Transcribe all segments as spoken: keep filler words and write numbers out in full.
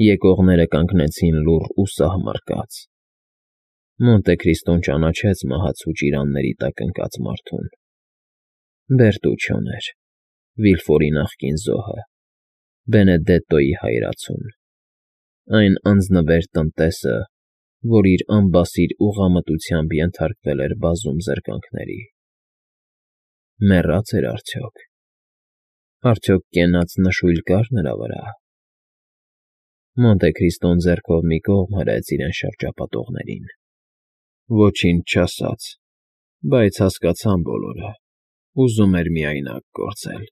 Եկողները կանգնեցին լուռ ու սահմռկած։ Մոնտե Քրիստոն ճանաչեց մահացու ճիրանների տակ ընկած մարդուն. Բերտուչոն էր, Վիլֆորի նախկին զոհը, Բենեդետտոյի հայրացուն, այն անձնվեր տնտեսը, որ իր անբասիր ուղղամտությամբ ենթարկվել էր բազում զրկանքների։ Մեռա՞ծ էր արդյոք։ Արդյոք կենաց նշույլ կա՞ր նրա վրա։ Մոնտե Քրիստոն ձեռքով մի կողմ հրեց իրեն շրջապատողներին։ Ոչինչ չասաց, բայց հասկացան բոլորը, ուզում էր միայնակ կորցել։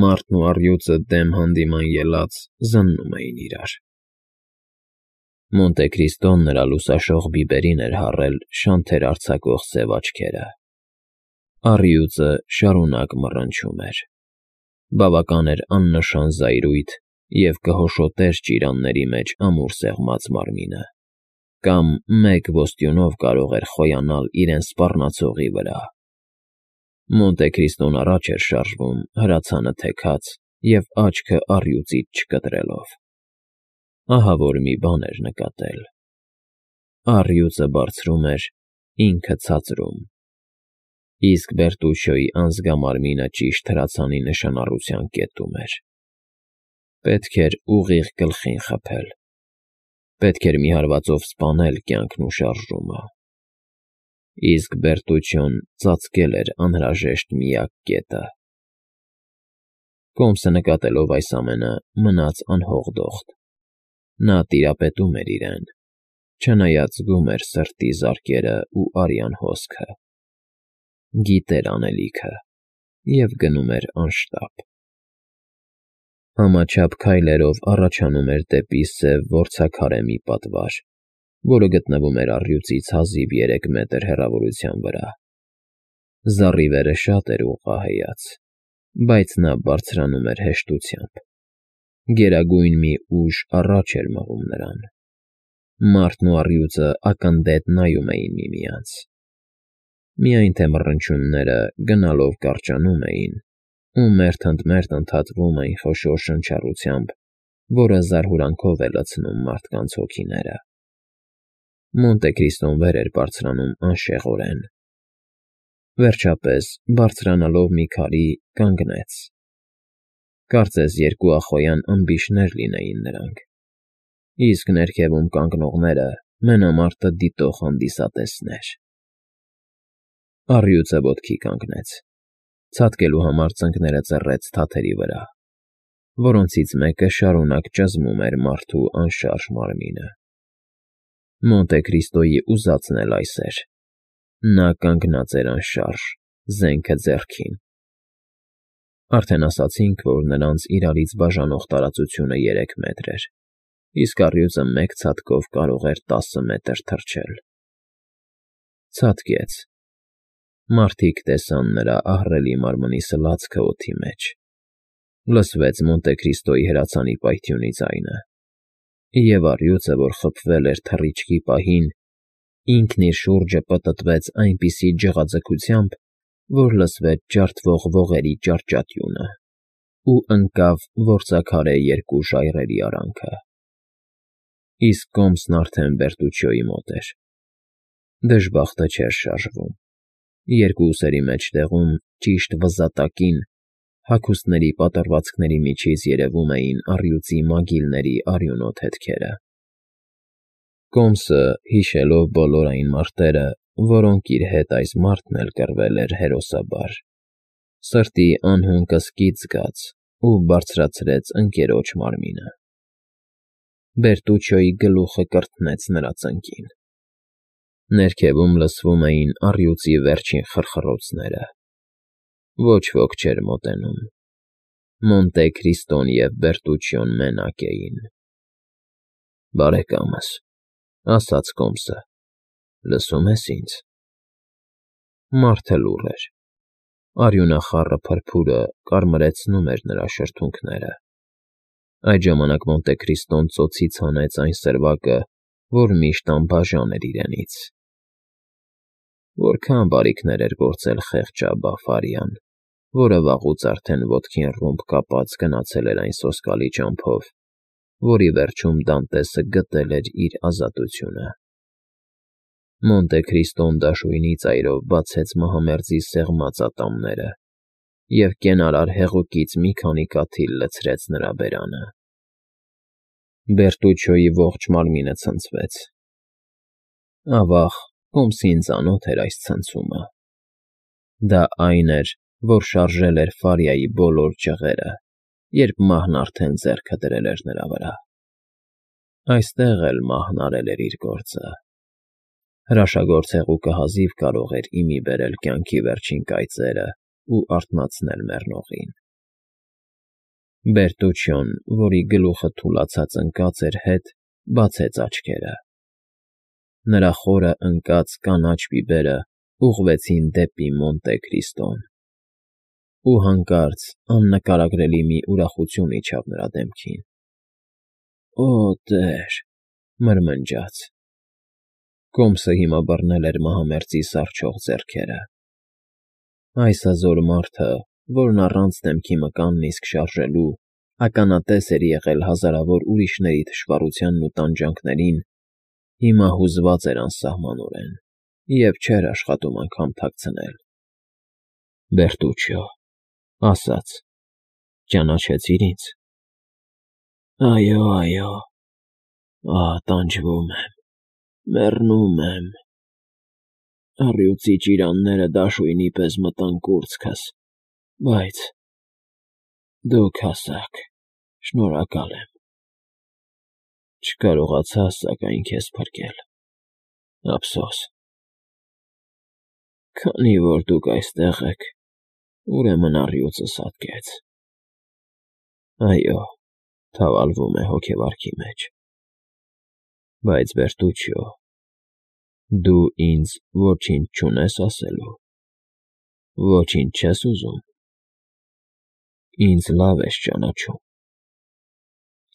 Մարդն ու առյուծը դեմ հանդիման ելած զննում էին իրար։ Մոնտե Քրիստոն նրա լուսաշող բիբերին էր հառել շանթեր արձակող սև աչքերը։ Առյուծը շարունակ մռնչում էր։ Բավական էր աննշան զայրույթ, և կհոշոտեր ճիրանների մեջ ամուր սեղմած մարմինը, կամ մեկ ոստյունով կարող էր խոյանալ իրեն սպառնացողի վրա։ Մոնտե Քրիստոն առաջ էր շարժվում, հրացանը թեքած և աչքը առյուծից չկտրելով։ Ահա որ մի բան էր նկատել. առյուծը բարձրում էր, ինքը ցածրում, իսկ Բերտուչոյի անզգամարմինը ճիշտ հրացանի նշանառության կետում էր։ Պետք էր ուղիղ գլխին խփել։ Պետք էր մի հարվածով սպանել կյանքն ու շարժումը։ Իսկ Բերտուչոն ծածկել էր անհրաժեշտ միակ կետը։ Կոմսը նկատելով այս ամենը, մնաց անհողդոխտ։ Նա տիրապետում էր իրեն, չնայած զգում էր սրտի զարկերը ու արյան հոսքը։ Գիտեր անելիքը և գնում էր անշտապ։ Համաչափ քայլերով առաջանում էր դեպի սև որցաքարե մի պատվար, որը գտնվում էր առյուծից հազիվ երեք մետր հեռավորության վրա։ Զառիվերը շատ էր ուղղահայաց, բայց նա բարձրանում էր հեշտությամբ։ Գերագույն մի ուժ առաջ էր մղում նրան։ Մարդն ու առյուծը ակնդետ նայում էին միմյանց։ Միայն թե մռնչյունները գնալով կարճանում էին, ու մերթ ընդ մերթ ընդհատվում էին խոշոր շնչառությամբ, որը զարհուրանքով է լցնում մարդկանց հոգիները։ Մոնտե Քրիստոն վեր էր բարձրանում անշեղորեն։ Վերջապես, բարձրանալով մի քարի, կանգնեց։ Կարծես երկուախոյան ըմբիշներ լինեին նրանք, իսկ ներքևում կանգնողները մենամարտը դիտող հանդիսատեսներ։ Առյուծը ոտքի կանգնեց, ցատկելու համար ծնկները ծռեց թաթերի վրա, որոնցից մեկը շարունակ ճզմում էր մարդու անշարժ մարմինը։ Մոնտե Քրիստոյի ուզածն էլ այս էր. նա կանգնած էր անշարժ, զենքը ձեռքին։ Արդեն ասացինք, որ նրանց իրարից բաժանող տարածությունը երեք մետր էր, իսկ առյուծը մեկ ցատկով կարող էր տասը մետր թռչել։ Ցատկեց։ Մարդիկ տեսան նրա ահռելի մարմնի սլացքը օդի մեջ։ Լսվեց Մոնտե Քրիստոյի հրացանի պայթյունի ձայնը, և առյուծը, որ խփվել էր թռիչքի պահին, ինքն իր շուրջը պտտվեց այնպիսի ջղաձգությամբ, որ լսվեց ջարդվող ողերի ճարճատյունը, ու ընկավ որցաքարե երկու ժայռերի արանքը։ Իսկ կոմսն արդեն Բերտուչիոյի մոտ էր։ Դժբախտը չէր շարժվում։ Երկու ուսերի մեջտեղում, ճիշտ վզատակին, հագուստների պատռվածքների միջից երևում էին առյուծի մագիլների արյունոտ հետքերը։ Կոմսը, հիշելով բոլոր այն մարտերը, որոնք իր հետ այս մարդն էլ կռվել էր հերոսաբար, սրտի անհուն կսկիծ զգաց ու բարձրացրեց ընկերոջ մարմինը։ Բերտուչիոյի գլուխը կրթնեց նրա ծնկին։ Ներքևում լսվում էին առյուծի վերջին խրխռոցները։ Ոչ ոք չէր մոտենում։ Մոնտե Քրիստոն և Բերտուչիոն մենակ էին։ Բարեկամս, ասաց կոմսը, լսո՞ւմ ես ինձ։ Մարդը լուռ էր։ Արյունախառը փրփուրը կարմրեցնում էր նրա շրթունքները։ Այդ ժամանակ Մոնտե Քրիստոն ծոցից հանեց այն սրվակը, որ միշտ անբաժան էր իրենից։ Որքա՜ն բարիքներ էր գործել խեղճ Աբբա֊Ֆարիան, որը վաղուց արդեն ոտքին ռումբ կապած գնացել էր այն սոսկալի ճամփով, որի վերջում Դանտեսը գտել էր իր ազատությունը։ Մոնտե Քրիստոն դաշույնի ծայրով բացեց մահամերձի սեղմած ատամները և կենարար հեղուկից մի քանի կաթիլ լցրեց նրա բերանը։ Բերտուչոյի ողջ մարմինը ցնցվեց։ Ավաղ, Հոմսին ծանոթ էր այս ցնցումը։ Դա այն էր, որ շարժել էր Ֆարիայի բոլոր ճղերը, երբ մահն արդեն ձեռքը դրել էր նրա վրա։ Այստեղ էլ մահն արել էր իր գործը։ Հրաշագործ հեղուկը հազիվ կարող էր ի մի բերել կյանքի վերջին կայծերը ու արթնացնել մեռնողին։ Բերտուչոն, որի գլուխը թուլացած ընկած էր հետ, բացեց աչքերը։ Նրա խորը ընկած կանաչ բիբերը ուղղվեցին դեպի Մոնտե Քրիստոն, ու հանկարծ աննկարագրելի մի ուրախություն իջավ նրա դեմքին։ «Օ, տեր», մրմնջաց։ Կոմսը հիմա բռնել էր մահամերձի սառչող ձեռքերը։ Այս հզոր մարդը, որն առանց դեմքի մկանն իսկ շարժելու, ականատես էր եղել հազարավոր ուրիշների թշվառությանն ու տանջանքներին, հիմա հուզված էր անսահմանորեն և չէր աշխատում անգամ թաքցնել։ «Բերտուչո», ասաց. «ճանաչեցի՞ր ինձ»։ «Այո, այո, ահ, տանջվում եմ, մեռնում եմ։ Առյուծի ճիրանները դաշույնի պես մտան կուրծքս, բայց… դուք հասաք, շնորհակալ եմ։ Չկարողացա, սակայն, քեզ փրկել, ափսոս։ Քանի որ դուք այստեղ եք, ուրեմն առյուծս հատկեց։ Այո, թավալվում է հոգեվարքի մեջ։ Բայց, Բերտուչո, դու ինձ ոչինչ չունես ասելու, ոչինչ չես ուզում։ Ինձ լավ ես ճանաչում։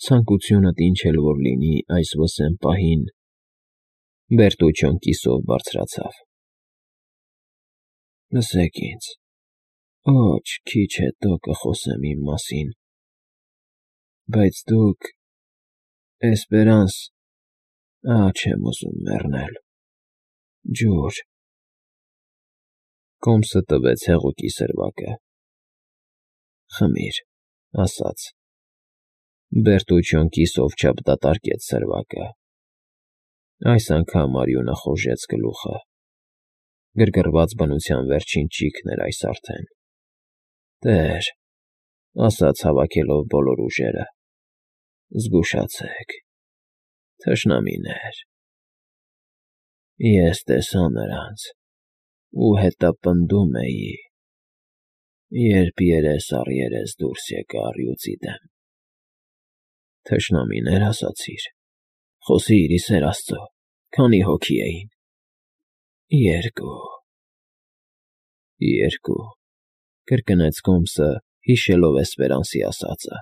Ցանկությունդ ինչ էլ որ լինի այս վսեմ պահին…» Բերտուչոն կիսով բարձրացավ։ «Լսեք ինձ, ոչ քիչ հետո կխոսեմ իմ մասին, բայց դուք… Էսպերանս… ահ, չեմ ուզում մեռնել… ջուր…» Կոմսը տվեց հեղուկի սրվակը։ «Խմիր», ասաց։ Բերտուչոն կիսով չափ դատարկեց սրվակը։ Այս անգամ արյունը խոժեց գլուխը։ Գրգռված բնության վերջին ճիգն էր այս արդեն։ «Տեր», ասաց հավաքելով բոլոր ուժերը, «զգուշացեք, թշնամիներ… Ես տեսա նրանց ու հետապնդում էի, երբ երես առ երես դուրս եկա առյուծի դեմ»։ «Թշնամիներ, ասացիր… Խոսի՛ր, ի սեր Աստծո, քանի՞ հոգի էին»։ «Երկու»։ «Երկու», կրկնեց Կոմսը, հիշելով Էսպերանսի ասածը։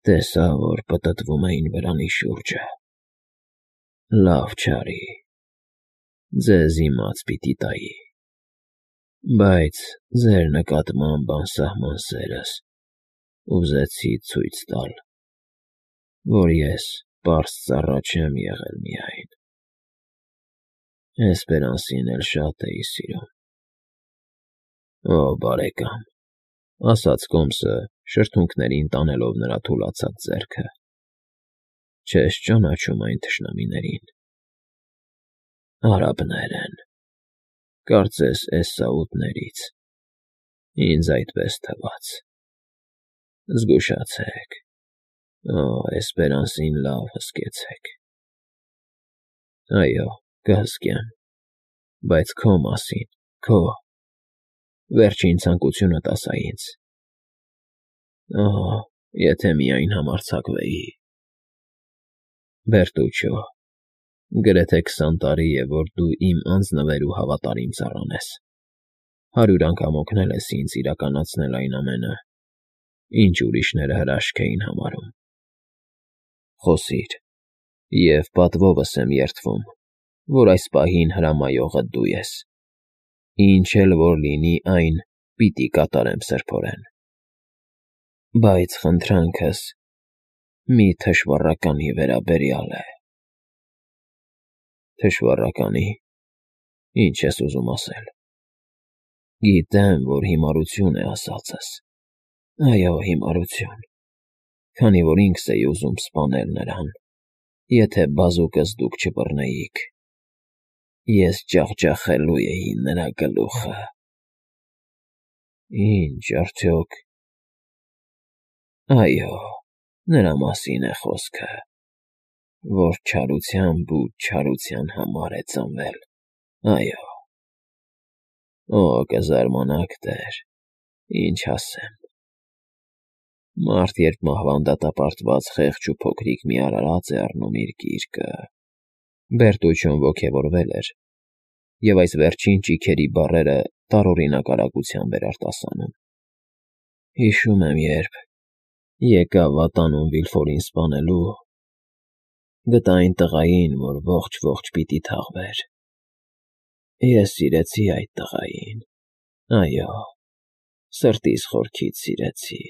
«Տեսա, որ պտտվում էին վրանի շուրջը… Լավ չարի… ձեզ իմաց պիտի տայի… Բայց ձեր նկատմամբ անսահման սերս ուզեցի ցույց տալ, որ ես պարզ ծառա չեմ եղել միայն… Էսպերանսին էլ շատ էի սիրում»։ «Օ, բարեկամ», ասաց Կոմսը, շրթունքներին տանելով նրա թուլացած ձեռքը, «չես ճանաչում այն թշնամիներին… Արաբներ են, կարծես Էսսաուտներից… ինձ այդպես թվաց… Զգուշացեք… Օ, Էսպերանսին լավ հսկեցեք… Այո, կհսկեմ… Բայց քո մասին, քո… վերջին ցանկությունդ ասա ինձ… Օ, եթե միայն համարձակվեի… Բերտուչո, գրեթե քսան տարի է, որ դու իմ անձնվեր ու հավատարիմ ծառան ես… հարյուր անգամ օգնել ես ինձ իրականացնել այն ամենը, ինչ ուրիշները հրաշք էին համարում… Խոսիր, և պատվովս եմ երդվում, որ այս պահին հրամայողը դու ես… Ինչ էլ որ լինի, այն պիտի կատարեմ սրբորեն… Բայց խնդրանքս… մի թշվառականի վերաբերյալ է։ Թշվառականի, ինչ ես ուզում ասել։ Գիտեմ, որ հիմարություն է ասածս, այո, հիմարություն, քանի որ ինքս էի ուզում սպանել նրան, եթե բազուկս դուք չբռնեիք, ես ջախջախելու էի նրա գլուխը։ Ինչ, արդյոք… Այո, նրա մասին է խոսքը, որ չարությամբ ու չարության համար է ծնվել, այո… Օ, կզարմանաք, տեր, ինչ ասեմ… Մարդ, երբ մահվան դատապարտված խեղճ ու փոքրիկ մի արարած է առնում իր գիրկը… Բերտուչոն ոգևորվել էր, և այս վերջին ճիգերի բառերը տարօրինակ արագությամբ էր արտասանում։ Հիշում եմ, երբ եկավ վատանուն Վիլֆորին սպանելու, գտա այն տղային, որ ողջ֊ողջ պիտի թաղվեր… Ես սիրեցի այդ տղային, այո, սրտիս խորքից սիրեցի…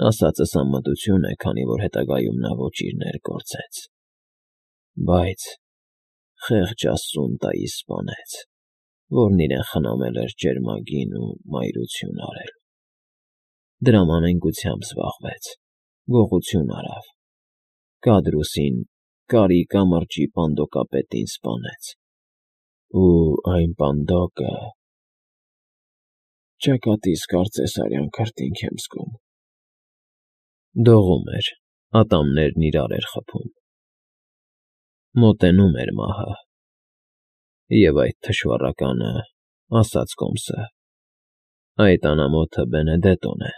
Ասածս անմտություն է, քանի որ հետագայում նա ոչիրներ գործեց, բայց խեղճ աստծուն տայի սպանեց, որն իրեն խնամել էր ջերմագին ու մայրություն արել… Դրամ անենգությամբ զբաղվեց, գողություն արավ, Կադրուսին, Կարի կամրջի պանդոկապետին սպանեց… Ու այն պանդոկը… Ճակատիս կարծես արյան քրտինք եմ զգում… Դողում էր, ատամներն իրար էր խփում… Մոտենում էր մահը… Եվ այդ թշվառականը, ասաց կոմսը, այդ անամոթը Բենեդետոն է…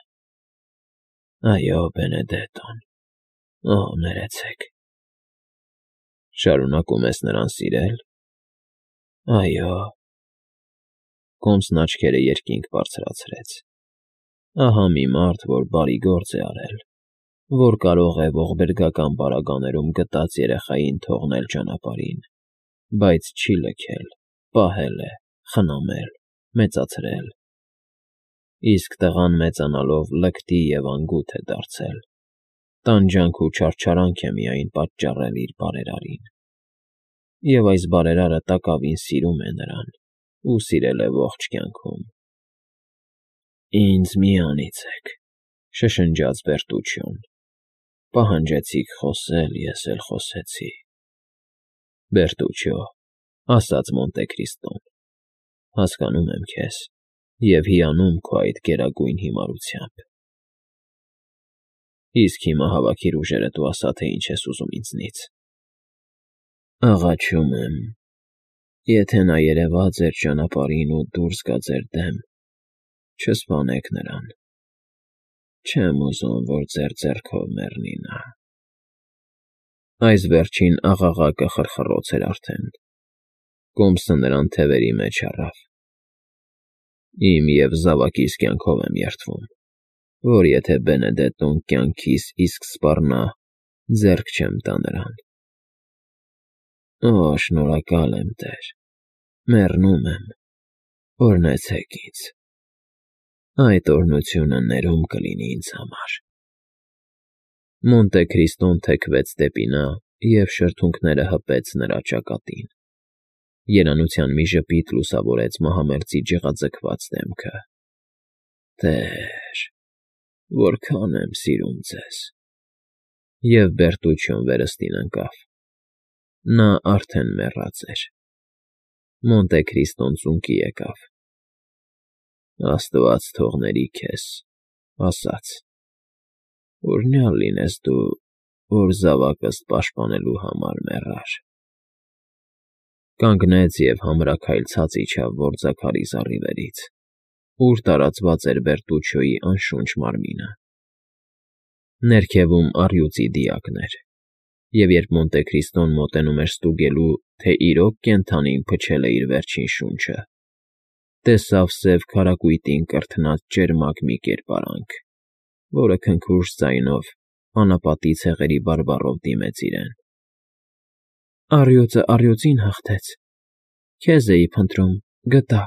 Այո, Բենեդետոն… Օ, ներեցեք… Շարունակում ես նրան սիրել… Այո… Կոմսն աչքերը երկինք բարձրացրեց… Ահա մի մարդ, որ բարի գործ է արել, որ կարող է ողբերգական պարագաներում գտած երեխային թողնել ճանապարհին, բայց չի լքել, պահել է, խնամել, մեծացրել… Իսկ տղան մեծանալով լկտի և անգութ է դարձել, տանջանք ու չարչարանք է միայն պատճառել իր բարերարին… Եվ այս բարերարը տակավին սիրում է նրան ու սիրել է ողջ կյանքում… Ինձ մի անիծեք, շշնջաց Բերտուչոն, պահանջեցիք խոսել, ես էլ խոսեցի… Բերտուչո, ասաց Մոնտե Քրիստոն, հասկանում եմ քեզ և հիանում քո այդ գերագույն հիմարությամբ… Իսկ հիմա հավաքիր ուժերդ ու ասա, թե ինչ ես ուզում ինձնից… Աղաչում եմ, եթե նա երևա ձեր ճանապարհին ու դուրս գա ձեր դեմ, չսպանեք նրան… Չեմ ուզում, որ ձեր ձեռքով մեռնի նա… Այս վերջին աղաղակը խռխռոց էր արդեն… Կոմսը նրան թևերի մեջ առավ… Իմ և զավակիս կյանքով եմ երդվում, որ եթե Բենեդետոն կյանքիս իսկ սպառնա, ձեռք չեմ տա նրան… Օ, շնորհակալ եմ, տեր, մեռնում եմ, օրհնեցեք ինձ… Այդ օրհնությունը ներում կլինի ինձ համար… Մոնտե Քրիստոն թեքվեց դեպի նա և շրթունքները հպեց նրա ճակատին… Երանության մի ժպիտ լուսավորեց մահամերձի ջղաձգված դեմքը… Տեր, որքա՜ն եմ սիրում ձեզ… Եվ Բերտուչոն վերստին ընկավ… Նա արդեն մեռած էր… Մոնտե Քրիստոն ծունկի եկավ… Աստված թող ների քեզ, ասաց. Օրհնյալ լինես դու, որ զավակս պաշտպանելու համար մեռար… Կանգնեց և համրաքայլ ցած իջավ որձաքարի զառիվերից, ուր տարածված էր Բերտուչոյի անշունչ մարմինը… Ներքևում առյուծի դիակներ, և երբ Մոնտե Քրիստոն մոտենում էր ստուգելու, թե իրոք կենդանին փչել է իր վերջին շունչը, տեսավ սև քարակույտին կրթնած ճերմակ մի կերպարանք, որը քնքուշ ձայնով, անապատի ցեղերի բարբառով դիմեց իրեն. Առյուծը առյուծին հաղթեց… Քեզ էի փնտրում, գտա…